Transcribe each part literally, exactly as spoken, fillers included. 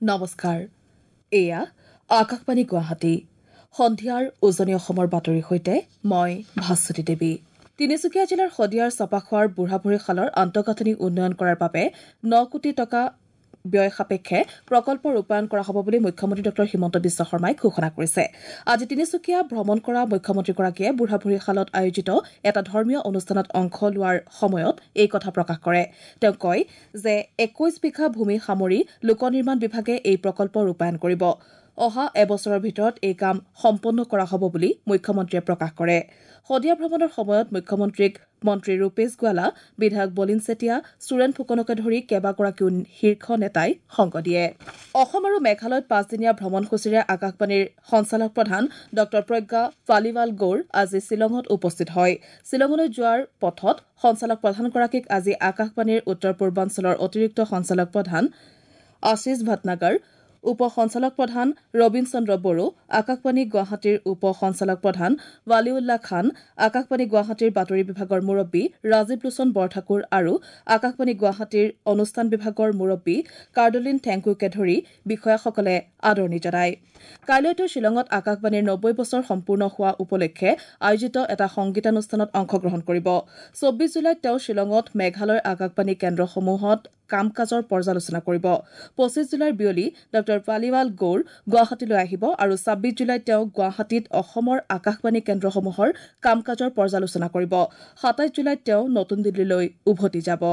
নমস্কাৰ, এয়া আকাশবাণী গুৱাহাটী। সন্ধিয়াৰ উজনি অসমৰ বাতৰিৰ সৈতে মই ভাস্বতী দেৱী। তিনিচুকীয়া জিলাৰ শদিয়াৰ চপাখোৱাৰ বুঢ়াভৰিশালৰ আন্তঃগাঁথনি উন্নয়ন কৰাৰ বাবে ন কোটি টকা ব্যয় সাপেক্ষে প্ৰকল্প ৰূপায়ণ কৰা হ'ব বুলি মুখ্যমন্ত্ৰী ডঃ হিমন্ত বিশ্ব শৰ্মাই ঘোষণা কৰিছে। আজি তিনিচুকীয়া ভ্ৰমণ কৰা মুখ্যমন্ত্ৰীগৰাকীয়ে বুঢ়াভৰিশালত আয়োজিত এটা ধৰ্মীয় অনুষ্ঠানত অংশ লোৱাৰ সময়ত এই কথা প্ৰকাশ কৰে। তেওঁ কয় যে একৈশ বিঘা ভূমি সামৰি লোক নিৰ্মাণ বিভাগে এই প্ৰকল্প ৰূপায়ণ কৰিব। অহা এবছৰৰ ভিতৰত এই কাম সম্পন্ন কৰা হ'ব বুলি মুখ্যমন্ত্ৰীয়ে প্ৰকাশ কৰে। শদিয়া ভ্ৰমণৰ সময়ত মুখ্যমন্ত্ৰীক মন্ত্ৰী ৰূপেশ গোৱালা, বিধায়ক বলিন চেতিয়া, সুৰেন ফুকনকে ধৰি কেইবাগৰাকীও শীৰ্ষ নেতাই সংগ দিয়ে। অসম আৰু মেঘালয়ত পাঁচদিনীয়া ভ্ৰমণসূচীৰে আকাশবাণীৰ সঞ্চালক প্ৰধান ডঃ প্ৰজ্ঞা পালিৱাল গৌৰ আজি শ্বিলঙত উপস্থিত হয়। শ্বিলঙলৈ যোৱাৰ পথত সঞ্চালক প্ৰধানগৰাকীক আজি আকাশবাণীৰ উত্তৰ পূৰ্বাঞ্চলৰ অতিৰিক্ত সঞ্চালক প্ৰধান আশীষ ভাটনাগৰ, উপ সঞ্চালক প্ৰধান ৰবীন চন্দ্ৰ বড়ো, আকাশবাণী গুৱাহাটীৰ উপ সঞ্চালক প্ৰধান ৱালিউল্লাহ খান, আকাশবাণী গুৱাহাটীৰ বাতৰি বিভাগৰ মুৰব্বী ৰাজীৱ লোচন বৰঠাকুৰ আৰু আকাশবাণী গুৱাহাটীৰ অনুষ্ঠান বিভাগৰ মুৰব্বী কাৰ্ডলিন ঠেংকুকে ধৰি বিষয়াসকলে আদৰণি জনায়। কাইলৈ তেওঁ শ্বিলঙত আকাশবাণীৰ নব্বৈ বছৰ সম্পূৰ্ণ হোৱা উপলক্ষে আয়োজিত এটা সংগীতানুষ্ঠানত অংশগ্ৰহণ কৰিব। চৌব্বিছ জুলাইত তেওঁ শ্বিলঙত মেঘালয়ৰ আকাশবাণী কেন্দ্ৰসমূহত কাম কাজৰ পৰ্যালোচনা কৰিব। পঁচিছ জুলাইৰ বিয়লি ডঃ পালিৱাল গৌৰ গুৱাহাটীলৈ আহিব আৰু ছাব্বিছ জুলাইত তেওঁ গুৱাহাটীত অসমৰ আকাশবাণী কেন্দ্ৰসমূহৰ কাম কাজৰ পৰ্যালোচনা কৰিব। সাতাইছ জুলাইত তেওঁ নতুন দিল্লীলৈ উভতি যাব।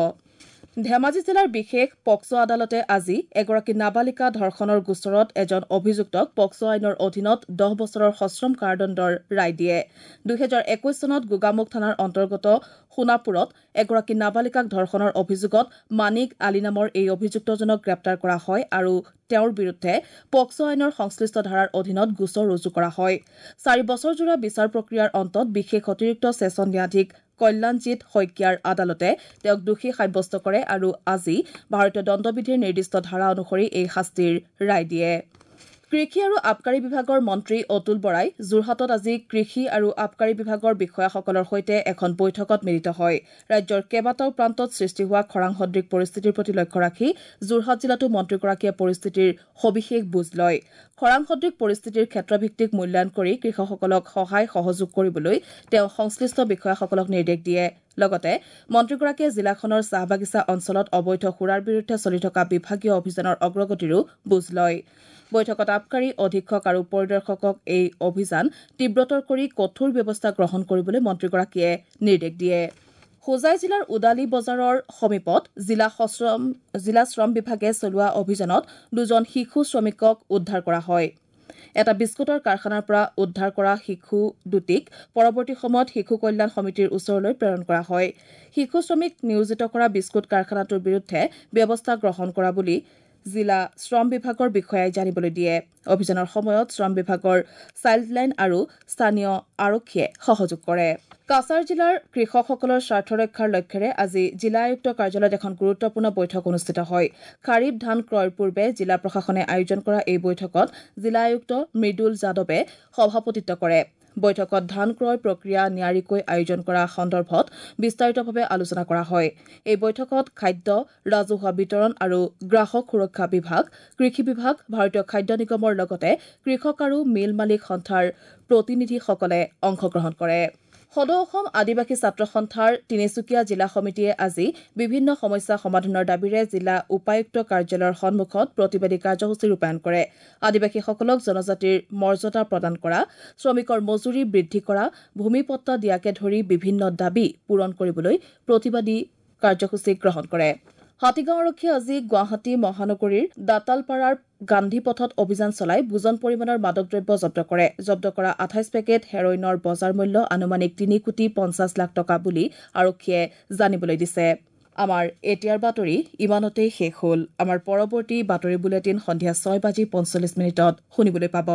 ধেমাজি জিলাৰ বিশেষ পক্সো আদালতে আজি এগৰাকী নাবালিকা ধৰ্ষণৰ গোচৰত এজন অভিযুক্তক পক্সো আইনৰ অধীনত দহ বছৰৰ সশ্ৰম কাৰাদণ্ডৰ ৰায় দিয়ে। দুহেজাৰ একৈশ চনত গোগামুখ থানাৰ অন্তৰ্গত সোণাপুৰত এগৰাকী নাবালিকাক ধৰ্ষণৰ অভিযোগত মানিক আলী নামৰ এই অভিযুক্তজনক গ্ৰেপ্তাৰ কৰা হয় আৰু তেওঁৰ বিৰুদ্ধে পক্সো আইনৰ সংশ্লিষ্ট ধাৰাৰ অধীনত গোচৰ ৰুজু কৰা হয়। চাৰি বছৰজোৰা বিচাৰ প্ৰক্ৰিয়াৰ অন্তত বিশেষ অতিৰিক্ত ছেছন ন্যায়াধীশ কল্যাণজিৎ শইকীয়াৰ আদালতে তেওঁক দোষী সাব্যস্ত কৰে আৰু আজি ভাৰতীয় দণ্ডবিধিৰ নিৰ্দিষ্ট ধাৰা অনুসৰি এই শাস্তিৰ ৰায় দিয়ে। কৃষি আৰু আবকাৰী বিভাগৰ মন্ত্ৰী অতুল বৰাই যোৰহাটত আজি কৃষি আৰু আবকাৰী বিভাগৰ বিষয়াসকলৰ সৈতে এখন বৈঠকত মিলিত হয়। ৰাজ্যৰ কেইবাটাও প্ৰান্তত সৃষ্টি হোৱা খৰাং সদৃশ পৰিস্থিতিৰ প্ৰতি লক্ষ্য ৰাখি যোৰহাট জিলাতো মন্ত্ৰীগৰাকীয়ে পৰিস্থিতিৰ সবিশেষ বুজ লয়। খৰাং সদৃশ পৰিস্থিতিৰ ক্ষেত্ৰভিত্তিক মূল্যায়ন কৰি কৃষকসকলক সহায় সহযোগ কৰিবলৈ তেওঁ সংশ্লিষ্ট বিষয়াসকলক নিৰ্দেশ দিয়ে। লগতে মন্ত্ৰীগৰাকীয়ে জিলাখনৰ চাহ বাগিচা অঞ্চলত অবৈধ সুৰাৰ বিৰুদ্ধে চলি থকা বিভাগীয় অভিযানৰ অগ্ৰগতিৰো বুজ লয়। বৈঠকত আবকাৰী অধীক্ষক আৰু পৰিদৰ্শকক এই অভিযান তীব্ৰতৰ কৰি কঠোৰ ব্যৱস্থা গ্ৰহণ কৰিবলৈ মন্ত্ৰীগৰাকীয়ে নিৰ্দেশ দিয়ে। হোজাই জিলাৰ উদালী বজাৰৰ সমীপত জিলা সশ্ৰম জিলা শ্ৰম বিভাগে চলোৱা অভিযানত দুজন শিশু শ্ৰমিকক উদ্ধাৰ কৰা হয়। এটা বিস্কুটৰ কাৰখানাৰ পৰা উদ্ধাৰ কৰা শিশু দুটিক পৰৱৰ্তী সময়ত শিশু কল্যাণ সমিতিৰ ওচৰলৈ প্ৰেৰণ কৰা হয়। শিশু শ্ৰমিক নিয়োজিত কৰা বিস্কুট কাৰখানাটোৰ বিৰুদ্ধে ব্যৱস্থা গ্ৰহণ কৰা বুলি জিলা শ্ৰম বিভাগৰ বিষয়াই জানিবলৈ দিয়ে। অভিযানৰ সময়ত শ্ৰম বিভাগৰ চাইল্ডলাইন আৰু স্থানীয় আৰক্ষীয়ে সহযোগ কৰে। কাছাৰ জিলাৰ কৃষকসকলৰ স্বাৰ্থ ৰক্ষাৰ লক্ষ্যেৰে আজি জিলা আয়ুক্ত কাৰ্যালয়ত এখন গুৰুত্বপূৰ্ণ বৈঠক অনুষ্ঠিত হয়। খাৰিফ ধান ক্ৰয়ৰ পূৰ্বে জিলা প্ৰশাসনে আয়োজন কৰা এই বৈঠকত জিলা আয়ুক্ত মৃদুল যাদৱে সভাপতিত্ব কৰে। বৈঠকত ধান ক্ৰয় প্ৰক্ৰিয়া নিয়াৰিকৈ আয়োজন কৰা সন্দৰ্ভত বিস্তাৰিতভাৱে আলোচনা কৰা হয়। এই বৈঠকত খাদ্য, ৰাজহুৱা বিতৰণ আৰু গ্ৰাহক সুৰক্ষা বিভাগ, কৃষি বিভাগ, ভাৰতীয় খাদ্য নিগমৰ লগতে কৃষক আৰু মিল মালিক সন্থাৰ প্ৰতিনিধিসকলে অংশগ্ৰহণ কৰে। সদৌ অসম আদিবাসী ছাত্ৰ সন্থাৰ তিনিচুকীয়া জিলা সমিতিয়ে আজি বিভিন্ন সমস্যা সমাধানৰ দাবীৰে জিলা উপায়ুক্ত কাৰ্যালয়ৰ সন্মুখত প্ৰতিবাদী কাৰ্যসূচী ৰূপায়ণ কৰে। আদিবাসীসকলক জনজাতিৰ মৰ্যাদা প্ৰদান কৰা, শ্ৰমিকৰ মজুৰি বৃদ্ধি কৰা, ভূমি পট্টা দিয়াকে ধৰি বিভিন্ন দাবী পূৰণ কৰিবলৈ প্ৰতিবাদী কাৰ্যসূচী গ্ৰহণ কৰে। হাতীগাঁও আৰক্ষীয়ে আজি গুৱাহাটী মহানগৰীৰ দাঁতালপাৰাৰ গান্ধী পথত অভিযান চলাই বুজন পৰিমাণৰ মাদক দ্ৰব্য জব্দ কৰে। জব্দ কৰা আঠাইছ পেকেট হেৰইনৰ বজাৰ মূল্য আনুমানিক তিনি কোটি পঞ্চাছ লাখ টকা বুলি আৰক্ষীয়ে জানিবলৈ দিছে। আমাৰ এতিয়াৰ বাতৰি ইমানতেই শেষ হ'ল। আমাৰ পৰৱৰ্তী বাতৰি বুলেটিন সন্ধিয়া ছয় বাজি পঞ্চল্লিছ মিনিটত শুনিবলৈ পাব।